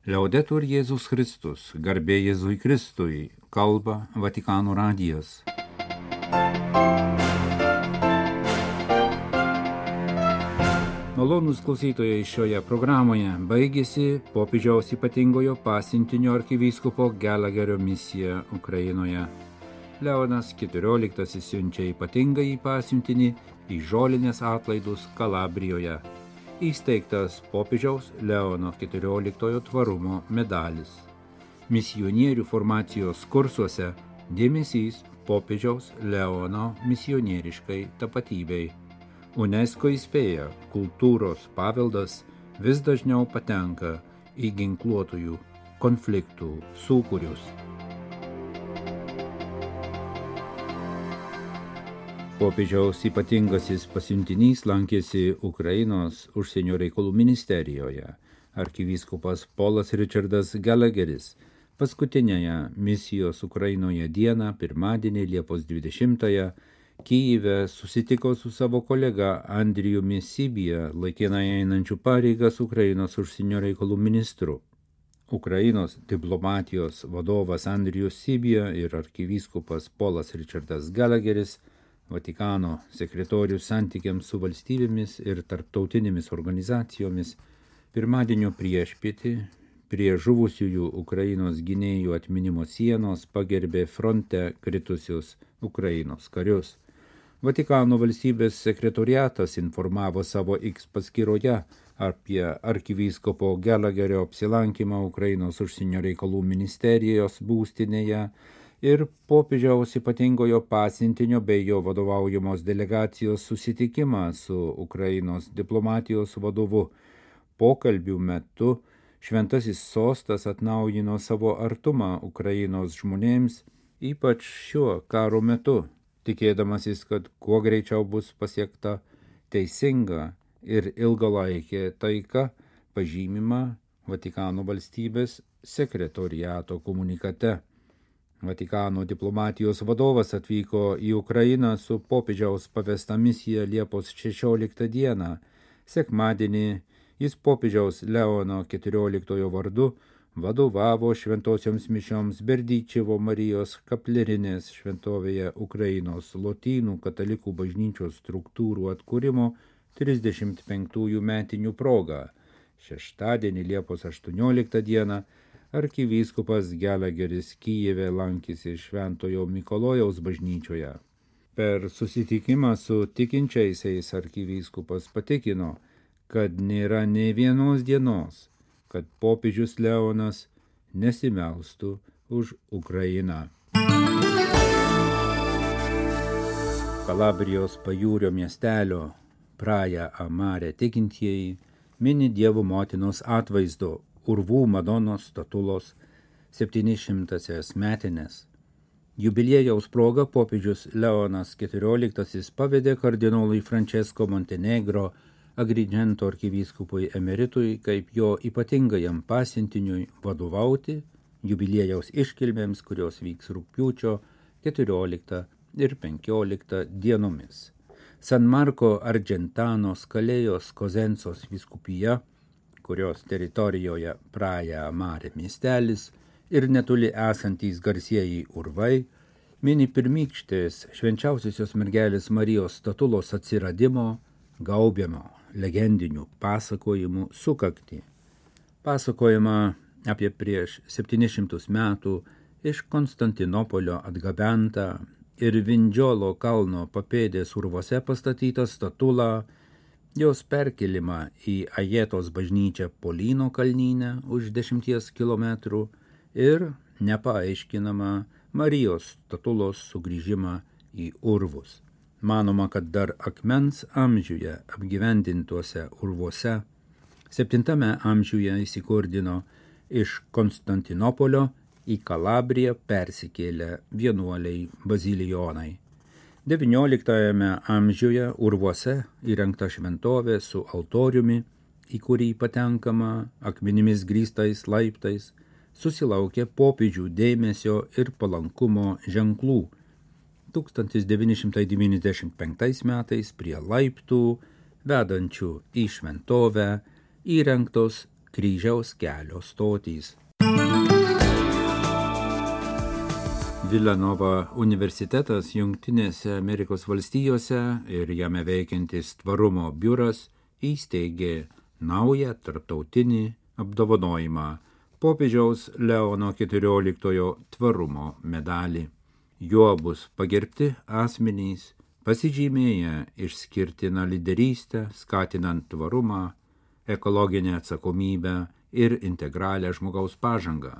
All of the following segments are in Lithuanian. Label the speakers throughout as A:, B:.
A: Liaudetur Jėzus Kristus, garbė Jėzui Kristui, kalba Vatikano radijas. Malonūs klausytojai, šioje programoje baigėsi popiežiaus ypatingojo pasiuntinio arkivyskupo Gallagherio misija Ukrainoje. Leonas XIV siunčia ypatingąjį pasiuntinį į žolinės atlaidus Kalabrijoje. Įsteigtas popiežiaus Leono XIV tvarumo medalis. Misionierių formacijos kursuose dėmesys popiežiaus Leono misionieriškai tapatybei. UNESCO įspėja, kultūros paveldas vis dažniau patenka į ginkluotųjų konfliktų sūkurius. Popiežiaus ypatingasis pasiuntinys lankėsi Ukrainos užsienio reikalų ministerijoje. Arkivyskupas Polas Richardas Gallagheris paskutinėje misijos Ukrainoje dieną, pirmadienį Liepos 20-ąją, Kyjive susitiko su savo kolega Andrijumi Sibija, laikinai einančiu pareigas Ukrainos užsienio reikalų ministru. Ukrainos diplomatijos vadovas Andrijus Sibija ir arkivyskupas Polas Richardas Gallagheris, Vatikano sekretorius santykiams su valstybėmis ir tarptautinėmis organizacijomis, pirmadienio priešpietį prie žuvusiųjų Ukrainos gynėjų atminimo sienos pagerbė fronte kritusius Ukrainos karius. Vatikano valstybės sekretoriatas informavo savo X paskyroje apie arkivyskupo Gallagherio apsilankymą Ukrainos užsienio reikalų ministerijos būstinėje ir popiežiaus ypatingojo pasiuntinio bei jo vadovaujamos delegacijos susitikimą su Ukrainos diplomatijos vadovu. Pokalbių metu Šventasis sostas atnaujino savo artumą Ukrainos žmonėms, ypač šiuo karo metu, tikėdamasis, kad kuo greičiau bus pasiekta teisinga ir ilgalaikė taika, pažymima Vatikano valstybės sekretoriato komunikate. Vatikano diplomatijos vadovas atvyko į Ukrainą su popiežiaus pavesta misija Liepos 16 dieną. Sekmadienį jis popiežiaus Leono XIV vardu vadovavo šventosioms mišioms Berdyčevo Marijos kaplerinės šventovėje Ukrainos lotynų katalikų bažnyčios struktūrų atkūrimo 35 metinių proga. Šeštadienį Liepos 18 dieną arkivyskupas Gallagheris Kyjive lankėsi Šventojo Mikalojaus bažnyčioje. Per susitikimą su tikinčiaisiais arkivyskupas patikino, kad nėra nė vienos dienos, kad popiežius Leonas nesimelstų už Ukrainą. Kalabrijos pajūrio miestelio Praja Amare tikintieji mini Dievo motinos atvaizdo Urvų Madonos statulos 700-asias metines. Jubiliejaus proga popiežius Leonas XIV pavedė kardinolui Francesco Montenegro Agrigento arkivyskupui emeritui kaip jo ypatingajam pasiuntiniui vadovauti jubiliejaus iškilmėms, kurios vyks rugpjūčio 14 ir 15 dienomis. San Marco Argentano Skalėjos Kozensos vyskupija, kurios teritorijoje Praja Amare miestelis ir netoli esantys garsieji urvai, mini pirmykštės švenčiausiosios mergelės Marijos statulos atsiradimo, gaubiamo legendinių pasakojimų sukaktį. Pasakojama apie prieš 700 metų iš Konstantinopolio atgabentą ir Vindžiolo kalno papėdės urvose pastatytą statulą, jos perkelimą į Ajetos bažnyčią Polyno kalnyne už 10 kilometrų ir nepaaiškinamą Marijos statulos sugrįžimą į urvus. Manoma, kad dar akmens amžiuje apgyvendintuose urvuose 7 amžiuje įsikurdino iš Konstantinopolio į Kalabriją persikėlę vienuoliai bazilijonai. 19 amžiuje urvuose įrengta šventovė su altoriumi, į kurį patenkama akmenimis grįstais laiptais, susilaukė popiežių dėmesio ir palankumo ženklų. 1995 metais prie laiptų, vedančių į šventovę, įrengtos kryžiaus kelio stotys. Villanova universitetas Jungtinėse Amerikos valstijose ir jame veikiantis tvarumo biuras įsteigė naują tarptautinį apdovanojimą popiežiaus Leono XIV tvarumo medalį. Juo bus pagerbti asmenys, pasižymėję išskirtiną lyderystę, skatinant tvarumą, ekologinę atsakomybę ir integralią žmogaus pažangą.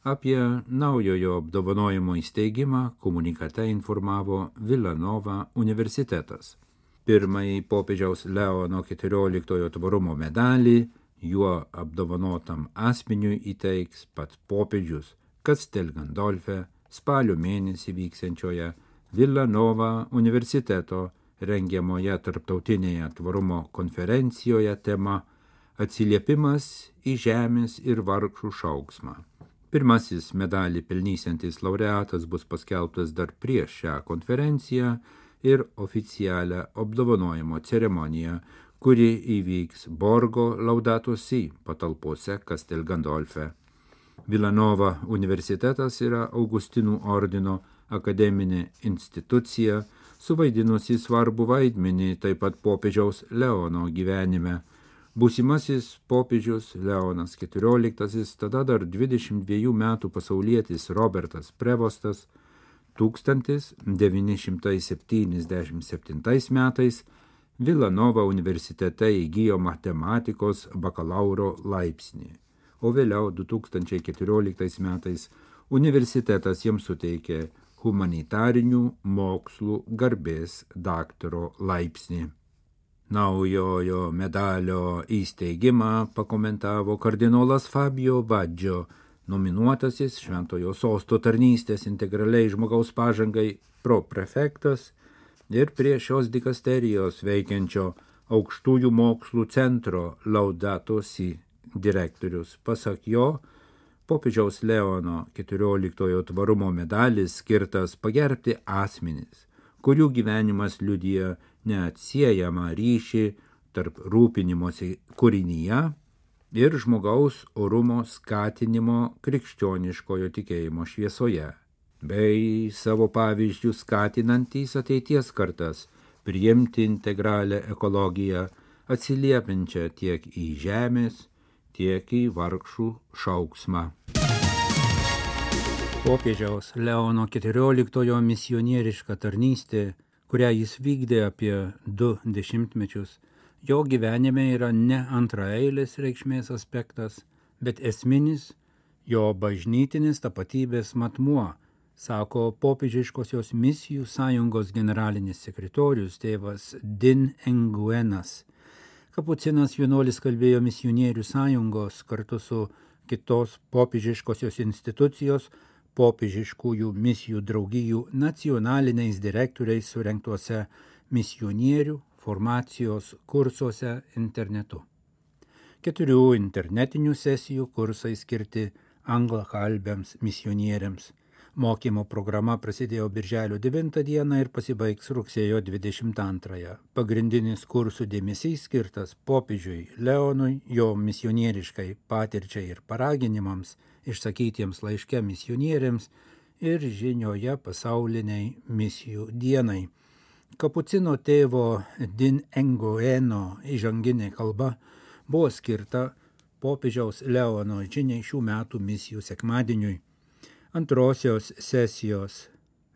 A: Apie naujojo apdovanojimo įsteigimą komunikate informavo Villanova universitetas. Pirmąjį popiežiaus Leono XIV tvarumo medalį juo apdovanotam asmeniui įteiks pats popiežius Castel Gandolfe spalio mėnesį vyksiančioje Villanova universiteto rengiamoje tarptautinėje tvarumo konferencijoje tema Atsiliepimas į žemės ir vargšų šauksmą. Pirmasis medalį pelnysiantis laureatas bus paskelbtas dar prieš šią konferenciją ir oficialią apdovanojimo ceremoniją, kuri įvyks Borgo Laudato Si patalpose Castel Gandolfe. Villanova universitetas yra Augustinų ordino akademinė institucija, suvaidinusi svarbų vaidmenį taip pat popiežiaus Leono gyvenime. Būsimasis popiežius Leonas XIV, tada dar 22 metų pasaulietis Robertas Prevostas, 1977 metais Villanova universitete įgijo matematikos bakalauro laipsnį, o vėliau 2014 metais universitetas jiems suteikė humanitarinių mokslų garbės daktaro laipsnį. Naujojo medalio įsteigimą pakomentavo kardinolas Fabio Baggio, nominuotasis Šventojo Sosto tarnystės integraliai žmogaus pažangai proprefektas ir prie šios dikasterijos veikiančio Aukštųjų mokslų centro Laudato Si direktorius. Pasak jo, popiežiaus Leono XIV tvarumo medalis skirtas pagerbti asmenis, kurių gyvenimas liudija neatsiejamą ryšį tarp rūpinimosi kūrinyje ir žmogaus orumo skatinimo krikščioniškojo tikėjimo šviesoje, bei savo pavyzdžių skatinantys ateities kartas priimti integralią ekologiją, atsiliepiančią tiek į žemės, tiek į vargšų šauksmą. Popiežiaus Leono XIV misionieriška tarnystė, kurią jis vykdė apie 2 dešimtmečius, jo gyvenime yra ne antraeilis reikšmės aspektas, bet esminis jo bažnytinis tapatybės matmuo, sako popiežiškosios misijų sąjungos generalinis sekretorius tėvas Din Nguyenas. Kapucinas vienuolis kalbėjo misionierių sąjungos kartu su kitos popiežiškosios institucijos popiežiškųjų misijų draugijų nacionaliniais direktoriais surengtuose misionierių formacijos kursuose internetu. 4 internetinių sesijų kursai skirti anglakalbiams misionieriams. Mokymo programa prasidėjo birželio 9 dieną ir pasibaigs rugsėjo 22. Pagrindinis kursų dėmesys skirtas popiežiui Leonui, jo misionieriškai patirčiai ir paraginimams, išsakytiems laiške misionieriams ir žinioje pasauliniai misijų dienai. Kapucino tėvo Din Nguyeno įžanginė kalba buvo skirta popiežiaus Leono žiniai šių metų misijų sekmadieniui. Antrosios sesijos,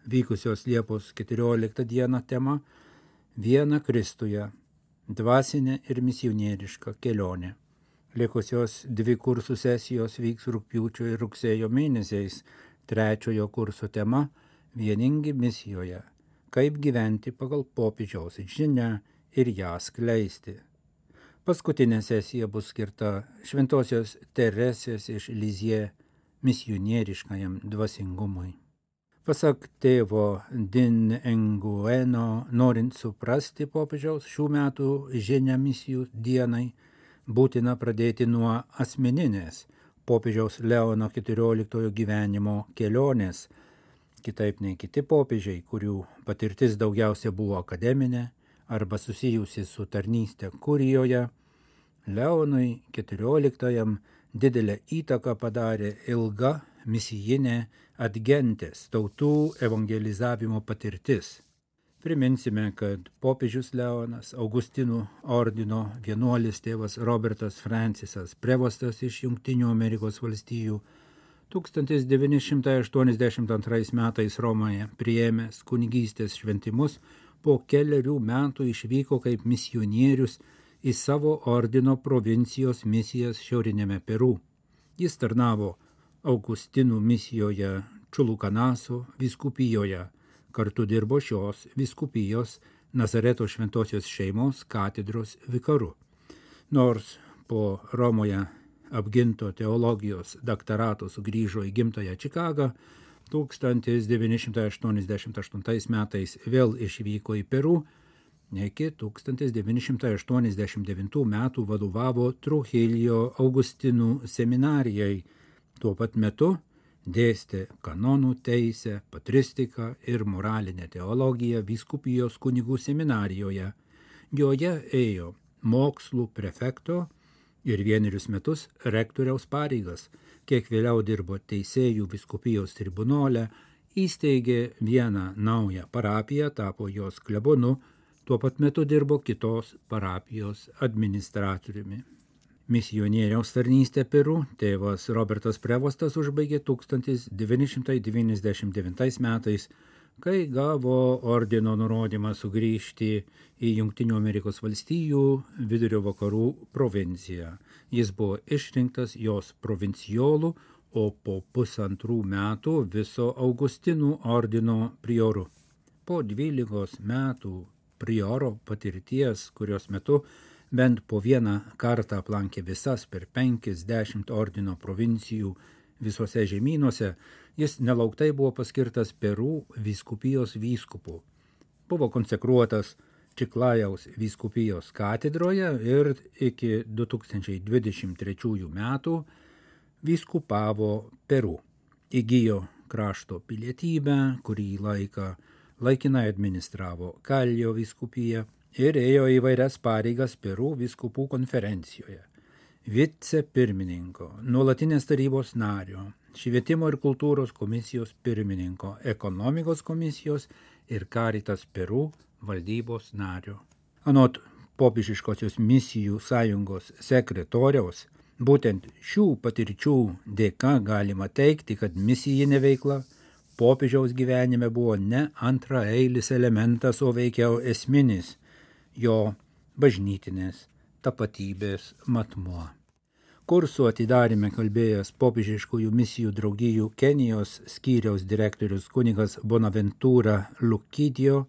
A: vykusios Liepos 14 dieną tema Viena Kristuje – dvasinė ir misionieriška kelionė. Likusios 2 kursų sesijos vyks rugpjūčio ir rugsėjo mėnesiais. 3 kurso tema Vieningi misijoje – kaip gyventi pagal popiežiaus žinią ir ją skleisti. Paskutinė sesija bus skirta Šventosios Teresės iš Lizie misionieriškajam dvasingumui. Pasak tėvo Din Nguyeno, norint suprasti popiežiaus šių metų žinią misijų dienai, būtina pradėti nuo asmeninės popiežiaus Leono XIV gyvenimo kelionės, kitaip nei kiti popiežiai, kurių patirtis daugiausia buvo akademinė arba susijusi su tarnyste kurijoje. Leonui XIV didelę įtaką padarė ilga misijinė Adgentes tautų evangelizavimo patirtis. Priminsime, kad popiežius Leonas, Augustinų ordino vienuolis tėvas Robertas Francisas, prevostas iš Jungtinių Amerikos valstijų, 1982 metais Romoje priėmęs kunigystės šventimus, po kelerių metų išvyko kaip misionierius į savo ordino provincijos misijas šiaurinėme Peru. Jis tarnavo Augustinų misijoje Čulukanaso vyskupijoje, kartu dirbo šios vyskupijos Nazareto šventosios šeimos katedros vikaru. Nors po Romoje apginto teologijos daktarato sugrįžo į gimtąją Čikagą, 1988 metais vėl išvyko į Peru, iki 1989 metų vadovavo Trujillo Augustinų seminarijai. Tuo pat metu dėstė kanonų teisę, patristiką ir moralinę teologiją vyskupijos kunigų seminarijoje. Joje ėjo mokslų prefekto ir vienerius metus rektoriaus pareigas, kiek vėliau dirbo teisėjų vyskupijos tribunole, įsteigė vieną naują parapiją, tapo jos klebonu, tuo pat metu dirbo kitos parapijos administratoriumi. Misionieriaus tarnystę Peru tėvas Robertas Prevostas užbaigė 1999 metais, kai gavo ordino nurodymą sugrįžti į Jungtinių Amerikos valstijų vidurio vakarų provinciją. Jis buvo išrinktas jos provincijolu, o po 1,5 metų viso Augustinų ordino prioru. Po 12 metų prioro patirties, kurios metu bent po vieną kartą aplankė visas per 50 ordino provincijų visose žemynuose, jis nelauktai buvo paskirtas Peru vyskupijos vyskupu. Buvo konsekruotas Čiklajaus vyskupijos katedroje ir iki 2023 metų vyskupavo Peru. Įgijo krašto pilietybę, kurį laiką laikinai administravo Kalio vyskupiją ir ėjo įvairias pareigas Peru vyskupų konferencijoje. Vicepirmininko, nuolatinės tarybos nario, švietimo ir kultūros komisijos pirmininko, ekonomikos komisijos ir Caritas Peru valdybos nario. Anot popiežiškosios misijų sąjungos sekretoriaus, būtent šių patirčių dėka galima teigti, kad misijinė veikla popiežiaus gyvenime buvo ne antraeilis elementas, o veikiau esminis jo bažnytinės tapatybės matmuo. Kursų atidaryme kalbėjęs popiežiškųjų misijų draugijų Kenijos skyriaus direktorius kunigas Bonaventura Lukidio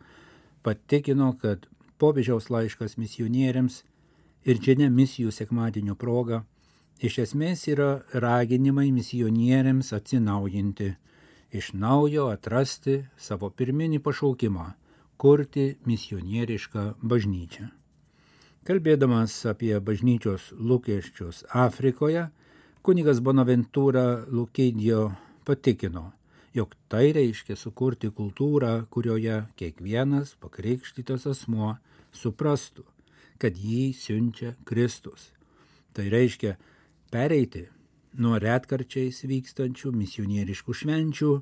A: patikino, kad popiežiaus laiškas misionieriams ir žinia misijų sekmadienio proga iš esmės yra raginimai misionieriams atsinaujinti, iš naujo atrasti savo pirminį pašaukimą – kurti misionierišką bažnyčią. Kalbėdamas apie bažnyčios lūkesčius Afrikoje, kunigas Bonaventura Lukidio patikino, jog tai reiškia sukurti kultūrą, kurioje kiekvienas pakrikštytas asmuo suprastų, kad jį siunčia Kristus. Tai reiškia pereiti nuo retkarčiais vykstančių misionieriškų švenčių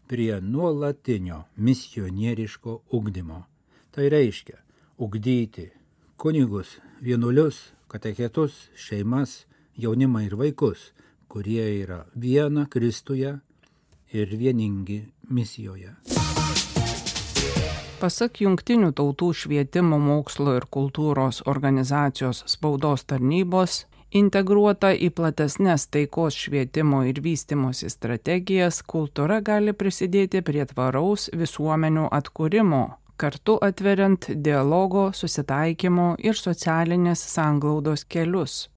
A: prie nuolatinio misionieriško ugdymo. Tai reiškia ugdyti kunigus, vienuolius, katechetus, šeimas, jaunimą ir vaikus, kurie yra viena Kristuje ir vieningi misijoje.
B: Pasak Jungtinių tautų švietimo, mokslo ir kultūros organizacijos spaudos tarnybos, integruota į platesnes taikos švietimo ir vystymosi strategijas, kultūra gali prisidėti prie tvaraus visuomenių atkūrimo, kartu atveriant dialogo, susitaikymo ir socialinės sanglaudos kelius.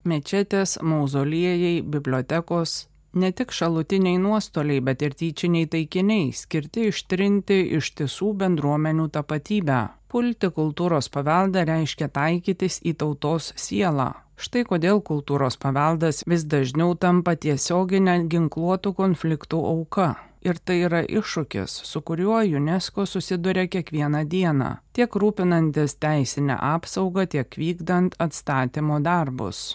B: Mečetės, mauzoliejai, bibliotekos – ne tik šalutiniai nuostoliai, bet ir tyčiniai taikiniai, skirti ištrinti ištisų bendruomenių tapatybę. Pulti kultūros paveldą reiškia taikytis į tautos sielą. Štai kodėl kultūros paveldas vis dažniau tampa tiesioginė ginkluotų konfliktų auka. ir tai yra iššūkis, su kuriuo UNESCO susiduria kiekvieną dieną, tiek rūpinantis teisinę apsaugą, tiek vykdant atstatymo darbus.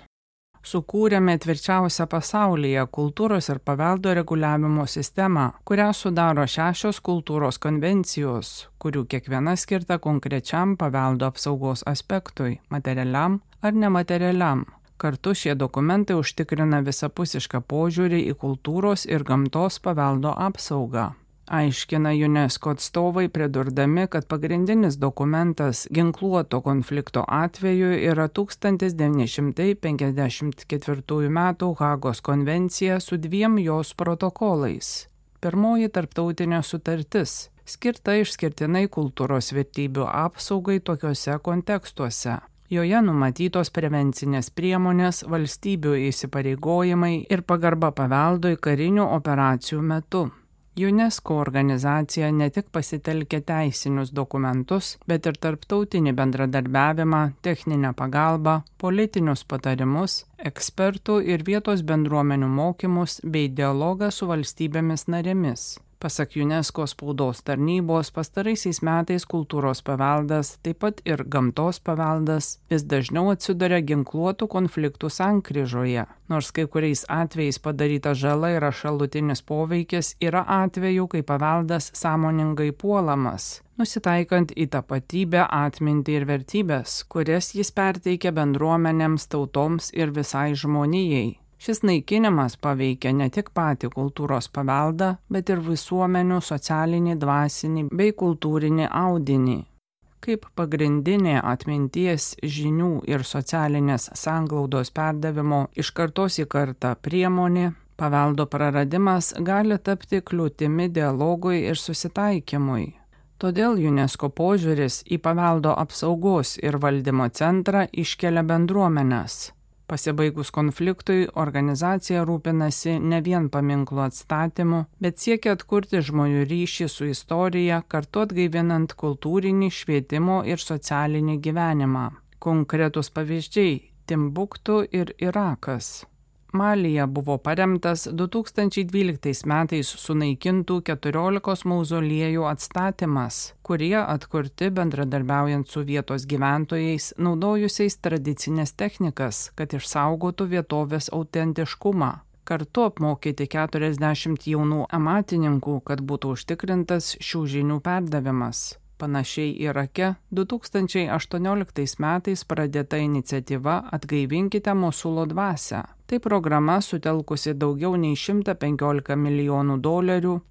B: Sukūrėme tvirčiausią pasaulyje kultūros ir paveldo reguliavimo sistemą, kurią sudaro 6 kultūros konvencijos, kurių kiekviena skirta konkrečiam paveldo apsaugos aspektui – materialiam ar nematerialiam. Kartu šie dokumentai užtikrina visapusišką požiūrį į kultūros ir gamtos paveldo apsaugą. Aiškina UNESCO atstovai, pridurdami, kad pagrindinis dokumentas ginkluoto konflikto atveju yra 1954 m. Hagos konvencija su 2 jos protokolais. Pirmoji tarptautinė sutartis, skirta išskirtinai kultūros vertybių apsaugai tokiuose kontekstuose. Joje numatytos prevencinės priemonės, valstybių įsipareigojimai ir pagarba paveldui karinių operacijų metu. UNESCO organizacija ne tik pasitelkė teisinius dokumentus, bet ir tarptautinį bendradarbiavimą, techninę pagalbą, politinius patarimus, ekspertų ir vietos bendruomenių mokymus bei dialogą su valstybėmis narėmis. Pasak UNESCO spaudos tarnybos, pastaraisiais metais kultūros paveldas, taip pat ir gamtos paveldas, vis dažniau atsiduria ginkluotų konfliktų sankryžoje. Nors kai kuriais atvejais padaryta žala yra šalutinis poveikis, yra atvejų, kai paveldas sąmoningai puolamas, nusitaikant į tapatybę, atmintį ir vertybės, kurias jis perteikia bendruomenėms, tautoms ir visai žmonijai. Šis naikinimas paveikia ne tik patį kultūros paveldą, bet ir visuomenių socialinį, dvasinį bei kultūrinį audinį. Kaip pagrindinė atminties, žinių ir socialinės sanglaudos perdavimo iš kartos į kartą priemonė, paveldo praradimas gali tapti kliūtimi dialogui ir susitaikymui. Todėl UNESCO požiūris į paveldo apsaugos ir valdymo centrą iškelia bendruomenes. Pasibaigus konfliktui, organizacija rūpinasi ne vien paminklų atstatymu, bet siekia atkurti žmonių ryšį su istorija, kartu atgaivinant kultūrinį, švietimo ir socialinį gyvenimą. Konkretus pavyzdžiai – Timbuktu ir Irakas. Malyje buvo paremtas 2012 metais sunaikintų 14 mauzoliejų atstatymas, kurie atkurti bendradarbiaujant su vietos gyventojais, naudojusiais tradicinės technikas, kad išsaugotų vietovės autentiškumą. Kartu apmokyti 40 jaunų amatininkų, kad būtų užtikrintas šių žinių perdavimas. Panašiai Irake 2018 metais pradėta iniciatyva Atgaivinkite Mosulo dvasią. Tai programa sutelkusi daugiau nei $115 milijonų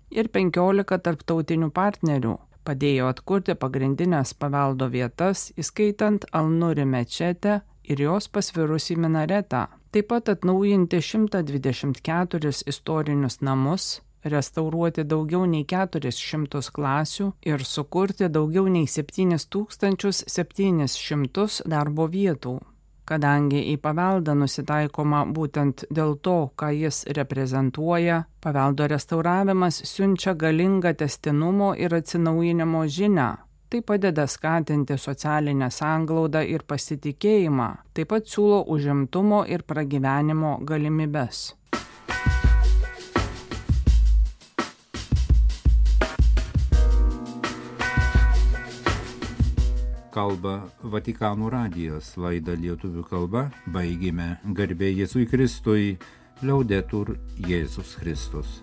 B: ir 15 tarptautinių partnerių. Padėjo atkurti pagrindinės paveldo vietas, įskaitant Al-Nuri mečetę ir jos pasvirusį minaretą. Taip pat atnaujinti 124 istorinius namus, restauruoti daugiau nei 400 klasių ir sukurti daugiau nei 7700 darbo vietų. Kadangi į paveldą nusitaikoma būtent dėl to, ką jis reprezentuoja, paveldo restauravimas siunčia galingą tęstinumo ir atsinaujinimo žinią. Tai padeda skatinti socialinę sanglaudą ir pasitikėjimą, taip pat siūlo užimtumo ir pragyvenimo galimybes.
A: Kalba Vatikano radijas, laidą lietuvių kalba, baigėme. Garbė Jėzui Kristui, Liaudetur Jėzus Kristus.